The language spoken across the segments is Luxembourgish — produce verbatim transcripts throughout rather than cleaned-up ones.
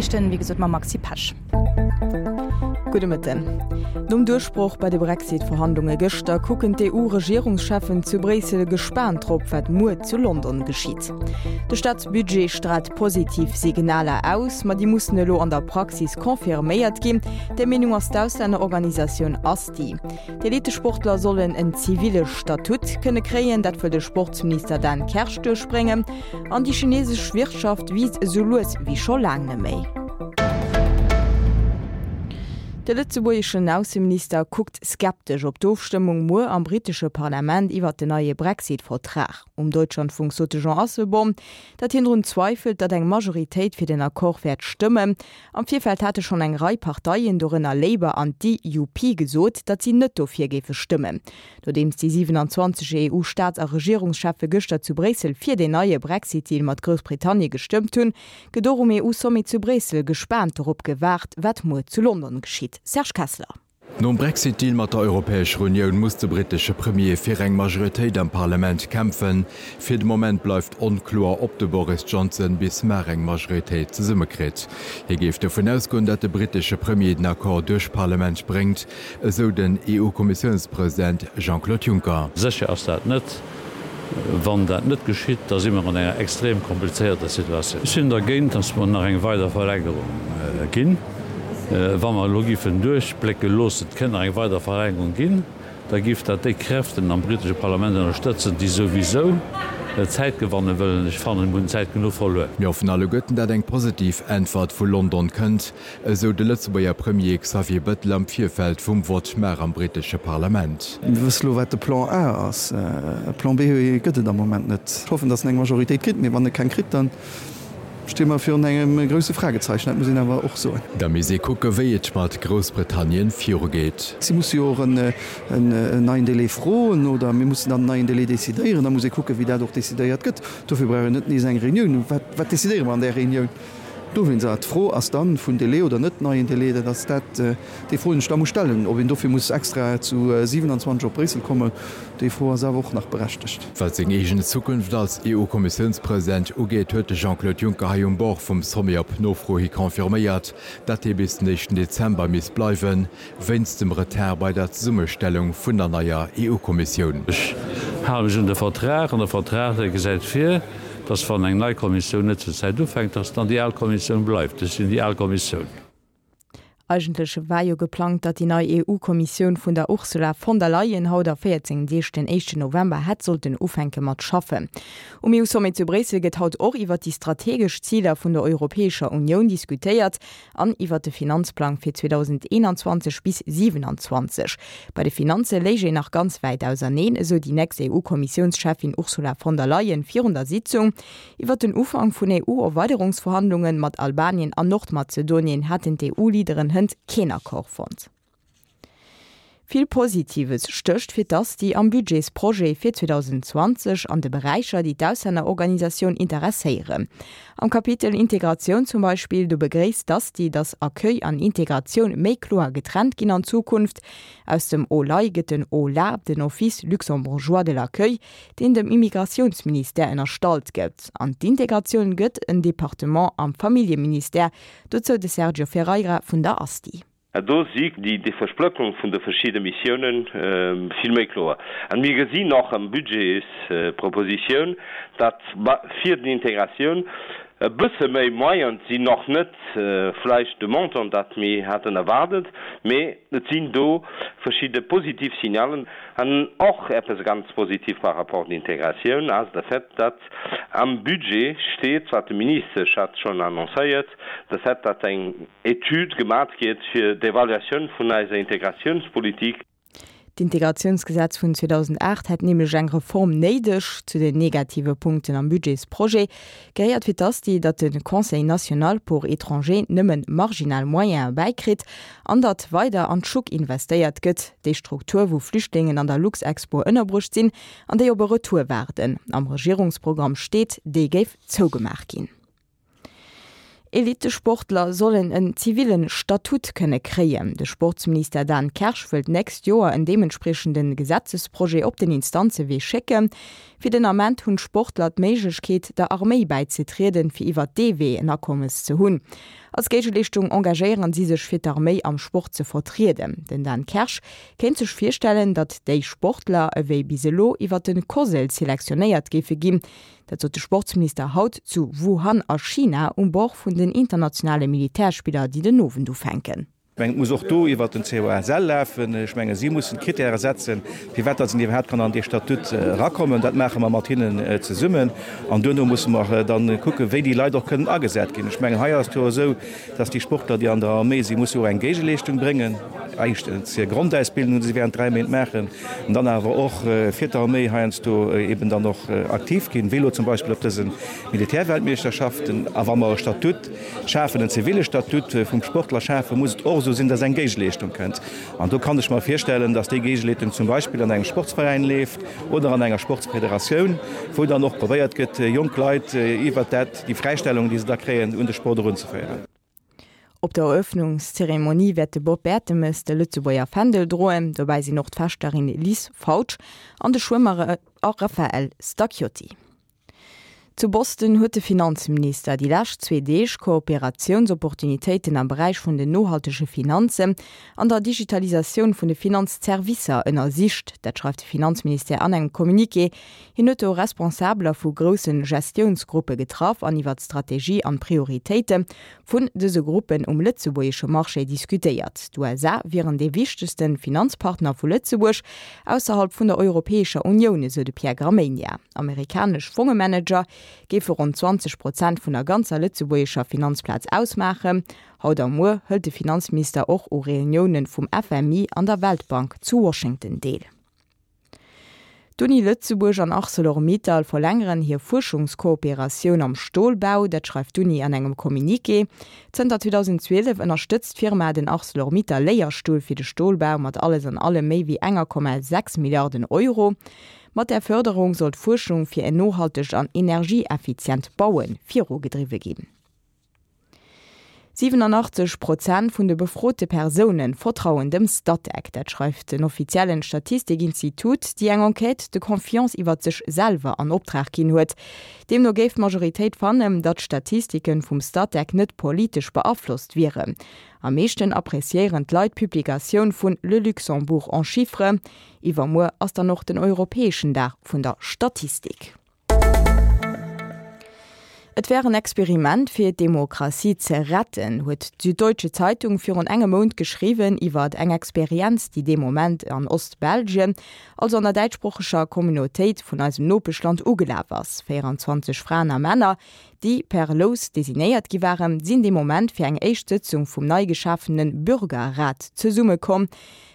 Noriichten, wéi gesot mam Maxi Pesch. Gudde Mëtten. Nom Duerchbroch bei de Brexit-Verhandlunge gëschter kucken d'EU-Regierungscheffen zu Bréissel gespaant drop, wat muer zu London geschitt. De Staatsbudget straalt positiv Signaler aus, ma déi mussen elo an der Praxis confirméiert ginn. Där Meenung ass d'Auslännerorganisatioun Asti. D'Elitesportler sollen en ziville Statut kënne kréien, dat wëll de Sportsminister Dan Kersch duerchbréngen. An déi chinesesch Wirtschaft wiisst esou lues wéi scho laang net méi. De lëtzebuergeschen Ausseminister kuckt skeptesch op d'Ofstëmmung muer am brittesche Parlament iwwer den neie Brexit-Vertrag. Um Deutschlandfunk sot de Jean Asselborn, datt hien drun zweifelt, datt eng Majoritéit fir den Accord wäert stëmmen. Am Virfeld hate schonn eng Rei Parteien, dorënner Labour an d'DUP, gesot, datt si net dofir géife stëmmen. Nodeems déi siwenanzwanzeg EU-Staats a Regierungscheffe gëschter zu Bréissel fir deen neie Brexit-Deal mat Groussbritannien gestëmmt hunn, gëtt och um EU-Sommet zu Bréissel gespaant dorop gewaart, wat muer zu London geschitt. Serge Kessler. Nom Brexit-Deal mat der Europäescher Unioun muss de brittesche Premier fir eng Majoritéit am Parlament kämpfen. Fir de Moment bleift onkloer, ob de Boris Johnson bis mar eng Majoritéit zesummekritt. Hie géif dovun ausgoen, datt de brittesche Premier den Accord duerch d'Parlament bréngt, esou den EU-Kommissiounspresident Jean-Claude Juncker. Sécher ass dat net. Wann dat net geschitt, da si mer an enger extrem komplizéierter Situatioun. Ech sinn dergéint, dass mer nach eng weider Verlängerung ginn. Wa mer elo géifen duerchblécke loossen, et kënnt nach eng weider Verlängerung ginn, da géif dat déi Kräften am britesche Parlament ënnerstëtzen, déi souwisou Zäit gewanne wëllen. Ech fannen, mir hunn Zäit genuch verluer. Mir hoffen alleguerten, dat eng positiv Äntwert vu London kënnt, esou de Lëtzebuerger Premier Xavier Bettel am Virfeld vum Vott mar am britesche Parlament. Mir wësse lo, wat de Plan A ass. E Plan B gëtt et am Moment net. Ech hoffen, datt en eng Majoritéit kritt, mee wann e keng kritt, da sti mer virun engem grousse Fragezeichen. Dat muss een awer och soen. Da misst ee kucke wéi et mat Groussbritannien virugeet. Si musse jo och en neien Délai froen oder mir mussen dann en neien Délai decidéieren. Da muss ee kucken, wéi dat och decidéiert gëtt. Dofir brauch een net nees eng Reunioun. Wat decidéiere mer an där Reunioun? Dowéinst, d'Fro ass dann, vun Délai oder net neien Délai, dat ass dat, déi Fro, déi een sech da muss stellen. Ob een dofir muss extra zu siwenanzwanzeg op Bréissel kommen, déi Fro ass awer och nach berechtegt. Wat seng eegen Zukunft als EU-Kommissiounspresident ugeet, huet de Jean-Claude Juncker hei um Bord vum Sommet op Nofro hi confirméiert, datt hie bis den éischten Dezember misst bleiwen, wéinst dem Retard bei der Zesummestellung vun der neier EU-Kommissioun. Ech hale mech un de Vertrag, an de Vertrag, dee gesäit vir, dass wann eng nei Kommissioun net zur Zäit ufänkt, dass dann déi al Kommissioun bleift. Ech sinn déi al Kommissioun. Eigentlech war jo geplangt, datt déi nei EU-Kommissioun vun der Ursula von der Leyen haut a véierzéng Deeg, den éischten November, hätt sollten ufänke mat schaffen. Um EU-Sommet zu Bréissel gëtt haut och iwwer déi strategesch Ziler vun der Europäescher Unioun diskutéiert an iwwer de Finanzplang fir zweedausendeenanzwanzeg bis siwenanzwanzeg. Bei de Finanze léich een nach ganz wäit auserneen, esou déi nächst EU-Kommissiounscheffin Ursula von der Leyen virun der Sitzung. Iwwer den Ufank vun EU-Erweiderungsverhandlunge mat Albanien an Nordmazedonien hätten d'EU-Leaderen hënt keen Accord fonnt. Vill Positives stécht fir d'Asti am Budgetsprojet fir zweedausendzwanzeg an de Beräicher, déi d'Auslännerorganisatioun interesséieren. Am Kapitel Integratioun zum Beispill, do begréisst d'Asti, datt Accueil an Integratioun méi kloer getrennt ginn an Zukunft. Aus dem OLAI gëtt den OLA, den Office luxembourgeois de l'accueil, deen dem Immigratiounsministère ënnerstallt gëtt. An d'Integratioun gëtt en Departement am Familljeministère. Dozou de Sergio Ferreira vun der Asti. A do si déi Versplëttung vun de verschidde Missiounen vill méi kloer. A mir gesinn och am Budgetspropositioun, datt fir d'Integratioun e bësse méi Moyene sinn, och net vläicht de Montant, dat mir haten erwaardet, mee et sinn do verschidde positiv Signalen. An och eppes ganz positiv par rapport d'Integratioun ass de Fait, datt am Budget steet, wat de Ministesch hat schonn annoncéiert, de Fait, datt eng Etüd gemat gétt fir d'Evaluatioun vun eiser Integratiounspolitik. D'Integratiounsgesetz vun zweedausendacht hätt nämlech eng Reform néideg. Zu den negative Punkten am Budgetsprojet gehéiert fir d'Asti, datt de Conseil national pour étrangers nëmmen marginal Moyene bäikritt an datt weider an d'Schuck investéiert gëtt, déi Struktur, wou Flüchtlingen an der Luxexpo ënnerbruecht sinn an déi op e Retour waarden. Am Regierungsprogramm steet, déi géif zougemaach ginn. Elittesportler sollen en zivillen Statut kënne kréien. De Sportsminister Dan Kersch wëllt d'nächst Joer en deementspriechende Gesetzesprojet op den Instanzewee schécken. Fir den Ament hunn d'Sportler d'Méiglechkeet, der Arméi bäizetrieden, fir iwwer dee Wee en Akommes ze hunn. Als Géigeleeschtung engagéieren si sech fir d'Arméi am Sport ze vertrieden. Den Dan Kersch kéint sech virstellen, datt déi Sportler ewéi bis elo iwwer de COSL selektionéiert géife ginn. Dat sot de Sportsminister haut zu Wuhan a China um Bord vun den internationale Militärspiller, déi den Owend ufänken. Ech mengen, et muss och do iwwert den COSL lafen. Ech mengen, si mussen d'Kritäre setzen, firwat datt een iwwerhaapt kann an dee Statut erakommen. Dat maache mer mat hinnen zesummen. An duerno musse mer da kucken, wéi déi Leit och kënnen agesat ginn. Ech mengen, hei ass et jo esou, datt déi Sportler, déi an der Arméi sinn, musse jo och eng Géigeleeschtung bréngen. Éischtens hir Grondausbildung, déi se während dräi Méint maachen, an dann awer och fir d'Arméi heiansdo eben dann och aktiv ginn, wéi elo zum Beispill op dëse Militärweltmeeschterschaften. A wa mer e Statut schafen, en ziville Statut vum Sportler schafen, muss et och esou sinn, dass eng Géigeleeschtung kënnt. An do kann ech mer virstellen, dass déi Géigeleetung zum Beispill an engem Sportsveräin leeft oder an enger Sportsfederatioun, wou dann och probéiert gëtt, jonk Leit iwwert dat, déi Fräistellung, déi se da kréien, un de Sport erunzeféieren. Op der Eröffnungszeremonie wäert de Bob Bertemes de Lëtzebuerger Fändel droen. Dobäi sinn och d'Fechterin Liz Fautsch an de Schwëmmer Raphael Stacchiotti. Zu Boston huet de Finanzminister déi lescht zwee Deeg Kooperatiounsopportunitéiten am Beräich vun den nohaltege Finanzen an der Digitalisatioun vun de Finanzservicer ënnersicht. Dat schreift de Finanzministère an engem Communiqué. Hien huet do Responsabeler vu grousse Gestiounsgruppe getraff an iwwer d'Strategie an d'Prioritéite vun dëse Gruppen um lëtzebuergesche Marché diskutéiert. D'USA wieren dee wichtegste Finanzpartner vu Lëtzebuerg ausserhalb vun der Europäescher Unioun, esou de Pierre Gramegna. Amerikanesch Fongemanager géife ronn zwanzeg Prozent vun der ganzer lëtzebuergescher Finanzplaz ausmaachen. Haut a muer hëlt de Finanzminister och u Reunioune vum FMI an der Weltbank zu Washington deel. D'Uni Lëtzebuerg an Arcelor-Mittal verlängeren hir Fuerschungskooperatioun am Stolbau, dat schreift d'Uni an engem Communiqué. Zënter zweedausendzwielef ënnerstëtzt d'Firma den Arcelor-Mittal-Léierstull fir de Stolbau mat alles an allem méi wéi enger Komma sechs Milliarden Euro. Mat där Fërderung soll d'Fuerschung fir en nohaltegt an energieeffizient Baue virugedriwwe ginn. siwenanachtzeg Prozent vun de befrote Persoune vertrauen dem Statec. Dat schreift den offiziellen Statistikinstitut, déi eng Enquête de confiance iwwert sech selwer an Optrag ginn huet. Deemno géif d'Majoritéit fannen, datt d'Statistike vum Statec net politesch beaflosst wieren. Am meeschten appreciéieren d'Leit d'Publikatioun vun Le Luxembourg en chiffres. Iwwermuer ass dann och den europäeschen Dag vun der Statistik. Et wär en Experiment fir d'Demokratie ze retten, huet d'Süddeutsche Zeitung virun engem Mount geschriwwen iwwert eng Experienz, déi dee Moment an Ostbelgien, also an der däitschsproocheger Communautéit vun eisem Nopeschland ugelaf ass. véierundzwanzeg Fraen a Männer, déi per Lous designéiert gi waren, sinn dee Moment fir eng éischt Sëtzung vum nei geschafene Bürgerrat zesummekomm.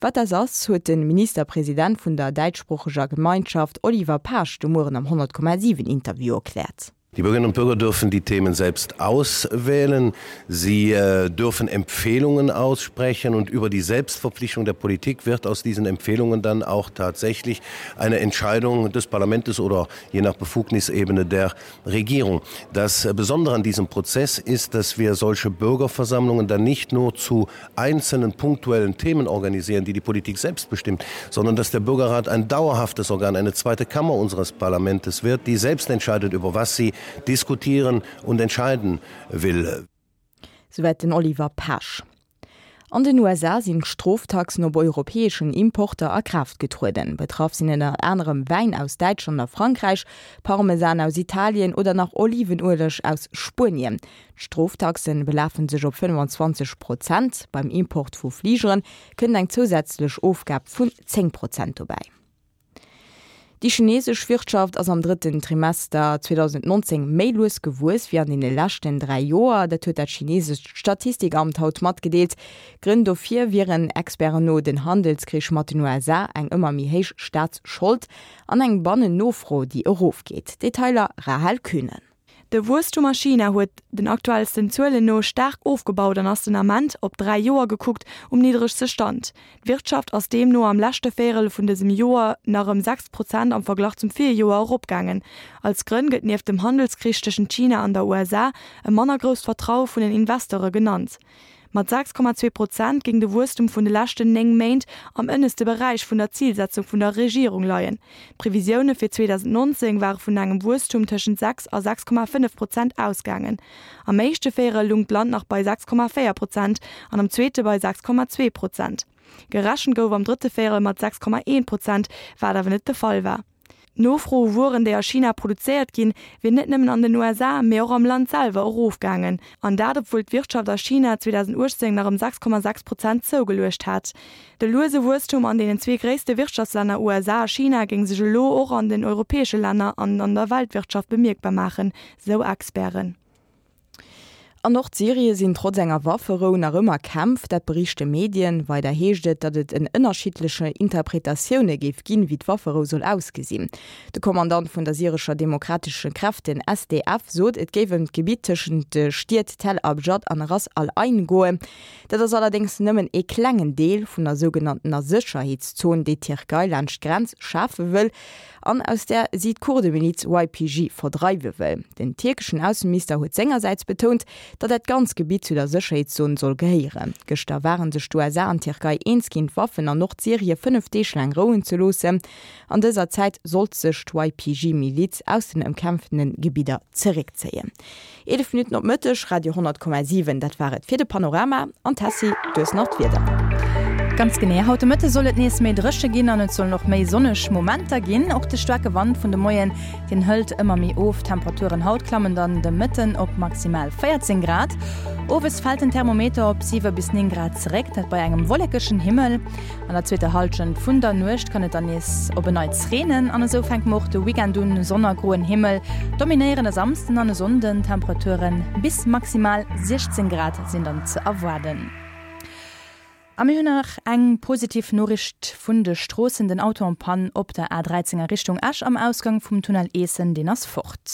Wat dat ass, huet de Ministerpresident vun der däitschsproocheger Gemeinschaft Oliver Paasch de Mueren am honnert Komma siwen Interview erkläert. Die Bürgerinnen und Bürger dürfen die Themen selbst auswählen. Sie dürfen Empfehlungen aussprechen und über die Selbstverpflichtung der Politik wird aus diesen Empfehlungen dann auch tatsächlich eine Entscheidung des Parlamentes oder je nach Befugnisebene der Regierung. Das Besondere an diesem Prozess ist, dass wir solche Bürgerversammlungen dann nicht nur zu einzelnen punktuellen Themen organisieren, die die Politik selbst bestimmt, sondern dass der Bürgerrat ein dauerhaftes Organ, eine zweite Kammer unseres Parlamentes wird, die selbst entscheidet, über was sie diskutieren und entscheiden will. Souwäit den Oliver Paasch. An den U S A sinn d'Stroftaxen op europäeschen Importer a Kraaft getrueden. Betraff sinn ënner anerem Wäin aus Däitschland a Frankräich, Parmesan aus Italien oder nach Olivenueleg aus Spuenien. D'Stroftaxen belafen sech op fënnefanzwanzeg Prozent. Beim Import vu Fligeren kënnt eng zousätzlech Ofgab vun zéng Prozent dobäi. Déi chinesesch Wirtschaft ass am drëtten Trimester zweedausendnonzéng méi lues gewuess wéi an deene leschten dräi Joer. Dat huet dat chinesescht Statistikamt haut matgedeelt. Grënn dofir wieren Experten no den Handelskrich mat den U S A, eng ëmmer méi héich Staatsschold an eng Bannennofro, déi erofgeet. Detailer Rahel Kühnen. De Wuesstum a China huet den aktuellsten Zuelen no staark ofgebaut an ass den Ament, op dräi Joer gekuckt, um niddregste Stand. D'Wirtschaft ass deemno am leschte Véierel vun dësem Joer nach ëm sechs Prozent am Verglach zum Virjoer eropgaangen. Als Grënn gëtt nieft dem Handelskrich tëschent China an der U S A e manner grousst Vertraue vun den Investeure genannt. Mat sechs Komma zwee Prozent géing de Wuesstum vun de leschten néng Méint am ënneschte Beräich vun der Zilsetzung vun der Regierung leien. D'Previsioune fir zweedausendnonzéng ware vun engem Wuesstum tëschent sechs a sechs Komma fënnef Prozent ausgaangen. Am éischte Véierel lung d'Land nach bei sechs Komma véier Prozent an am zweete bei sechs Komma zwee Prozent. Gerechent gouf am drëtte Véierel mat sechs Komma eent Prozent, wat awer net de Fall war. D'Nofro u Wueren, déi a China produzéiert ginn, wier net nëmmen an den U S A, mee och am Land selwer erofgaangen. An dat obwuel d'Wirtschaft a China zweedausendachtzéng nach ëm sechs Komma sechs Prozent zougeluecht hat. De luese Wuesstum an deenen zwee gréisste Wirtschaftslänner U S A a China géing sech elo och an den europäesche Länner an an der Weltwirtschaft bemierkbar maachen, sou Experten. An Nordsyrie sinn trotz enger Wafferou nach ëmmer Kämpf, dat berichte Medien. Weider heescht et, datt et en ënnerschiddleche Interpretatioune géif ginn, wéi d'Wafferou soll ausgesinn. De Kommandant vun der syrescher Demokratesche Kräften, S D F, sot, et géif ëm d'Gebitt tëschent de Stied Tel Abjad an Ras al-Ain goen. Dat ass allerdéngs nëmmen ee klengen Deel vun der sougenanntener Sécherheetszon, déi d'Tierkei laanscht d'Grenz schafe wëll an aus där si d'Kurdemiliz Y P G verdreiwe wëll. Den tierkeschen Ausseminister huet sengersäits betount, datt dat ganzt Gebitt zu der Sécherheetszon soll gehéieren. Gëschter ware sech d'U S A an d'Tierkei eens ginn, d'Waffen an Nordsyrie fënnef Deeg laang rouen ze loossen. An dëser Zäit sollt sech d'Y P G-Miliz aus den ëmkämpfte Gebidder zeréckzéien. Eelef Minutten op Mëtteg, Radio honnert Komma siwen, dat war et fir de Panorama an Tessy, du hues nach d'Wieder. Ganz genee, haut de Mëtte soll et nees méi dréche ginn an et sollen och méi sonneg Momenter ginn. Och de staarke Wand vun de Moien, deen hëlt ëmmer méi of. D'Temperaturen haut klammen dann de Mëtten op maximal véierzéng Grad. Owes fält den Thermometer op siwe bis néng Grad zeréck, dat bei engem wollekegen Himmel. An der zweeter Hallschent vun der Nuecht kann et dann nees op en Neits reenen an esou fänke mer och de Weekend un, Sonn a groen Himmel dominéieren e Samsden an e Sonnden. Temperature bis maximal siechzéng Grad sinn dann ze erwaarden. A mir hunn nach eng positiv Noriicht vun de Stroossen, den Auto en panne op der A dräizéng a Richtung Esch am Ausgang vum Tunnel Eessen, deen ass fort.